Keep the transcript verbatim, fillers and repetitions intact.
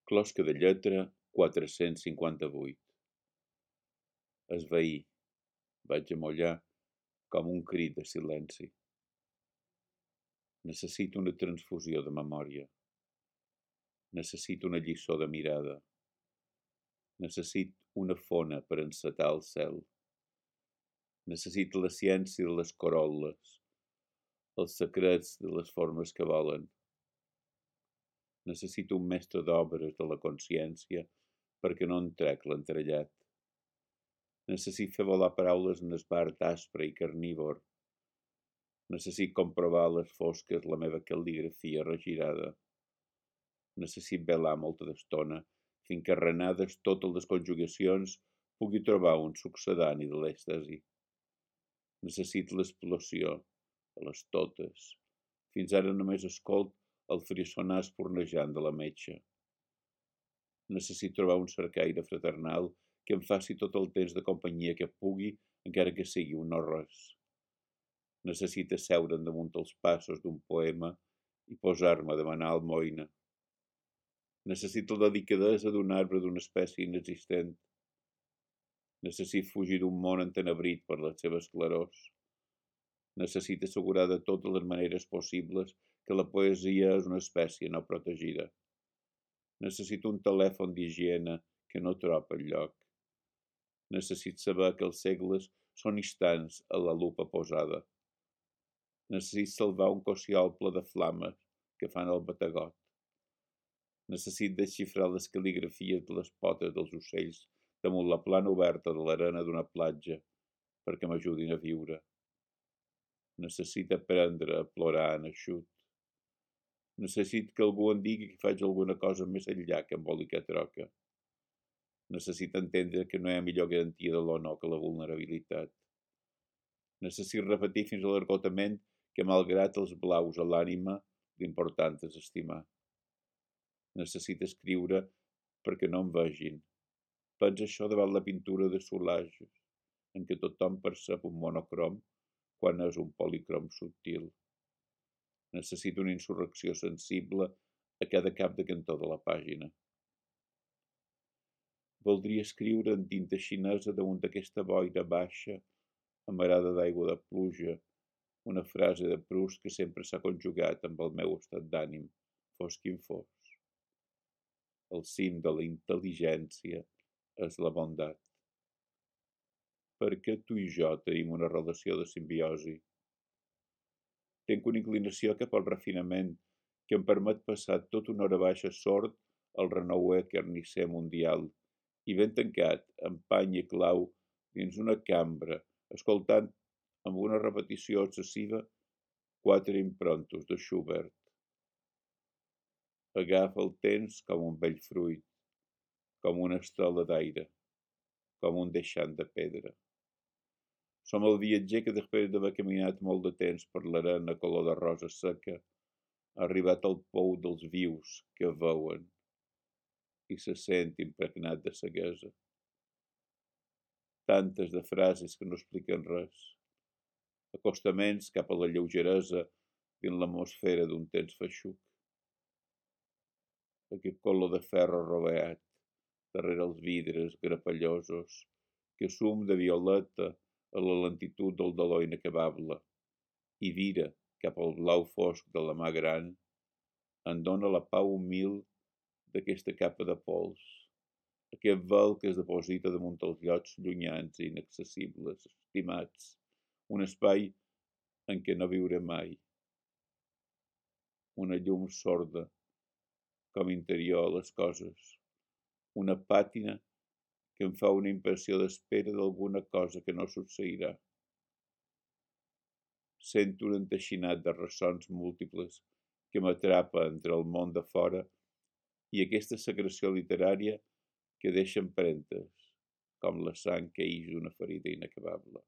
Closca de lletra quatre-cents cinquanta-vuit. Esvair. Vaig amollar com un crit de silenci. Necessito una transfusió de memòria. Necessito una lliçó de mirada. Necessito una fona per encetar el cel. Necessito la ciència de les corol·les, els secrets de les formes que volen. Necessito un mestre d'obres de la consciència perquè no en trec l'entrellat. Necessito fer volar paraules en esbart aspre i carnívor. Necessito comprovar a les fosques la meva cal·ligrafia regirada. Necessito velar molta d'estona fins que arrenades totes les conjugacions pugui trobar un succedani de l'èxtasi. Necessito l'explosió, a les totes. Fins ara només escolt el frissonar espurnejant de la metxa. Necessito trobar un cercaire fraternal que em faci tot el temps de companyia que pugui, encara que sigui un no res. Necessito asseure'n damunt els passos d'un poema i posar-me a demanar almoina. Necessito la delicadesa d'un arbre d'una espècie inexistent. Necessito fugir d'un món entenebrit per les seves clarors. Necessito assegurar de totes les maneres possibles que la poesia és una espècie no protegida. Necessito un telèfon d'higiene que no troba enlloc. Necessito saber que els segles són instants a la lupa posada. Necessito salvar un cossiol ple de flames que fan el bategot. Necessito desxifrar les cal·ligrafies de les potes dels ocells damunt la plana oberta de l'arena d'una platja perquè m'ajudin a viure. Necessito aprendre a plorar en eixut. Necessito que algú em digui que faig alguna cosa més enllà que embolicar troca. Necessito entendre que no hi ha millor garantia de l'honor que la vulnerabilitat. Necessito repetir fins a l'esgotament que, malgrat els blaus a l'ànima, l'important és estimar. Necessito escriure perquè no em vegin. Pensa això davant la pintura de Soulages, en què tothom percep un monocrom quan és un policrom subtil. Necessito una insurrecció sensible a cada cap de cantó de la pàgina. Voldria escriure en tinta xinesa damunt d'aquesta boira baixa, amarada d'aigua de pluja, una frase de Proust que sempre s'ha conjugat amb el meu estat d'ànim, fos quin fos. El cim de la intel·ligència és la bondat. Perquè tu i jo tenim una relació de simbiosi. Tenc una inclinació cap al refinament que em permet passar tota una hora baixa sord al renouer carnisser mundial i ben tancat, amb pany i clau, dins una cambra, escoltant amb una repetició excessiva quatre improntos de Schubert. Agafa el temps com un vell fruit, com una estela d'aire, com un deixant de pedra. Som el viatger que, després d'haver caminat molt de temps per l'arena color de rosa seca, ha arribat al pou dels vius que veuen i se sent impregnat de ceguesa. Tantes de frases que no expliquen res. Acostaments cap a la lleugeresa dins l'atmosfera d'un temps feixuc. Aquest color de ferro roveat, darrere els vidres grapellosos, que sum de violeta a la lentitud del dolor inacabable, i vira cap al blau fosc de la mà gran, en dona la pau humil d'aquesta capa de pols, aquest vel que es deposita damunt els llocs llunyans i inaccessibles, estimats, un espai en què no viuré mai. Una llum sorda, com interior a les coses, una pàtina que em fa una impressió d'espera d'alguna cosa que no succeirà. Sento un enteixinat de ressons múltiples que m'atrapa entre el món de fora i aquesta secreció literària que deixa empremtes, com la sang que ix d'una ferida inacabable.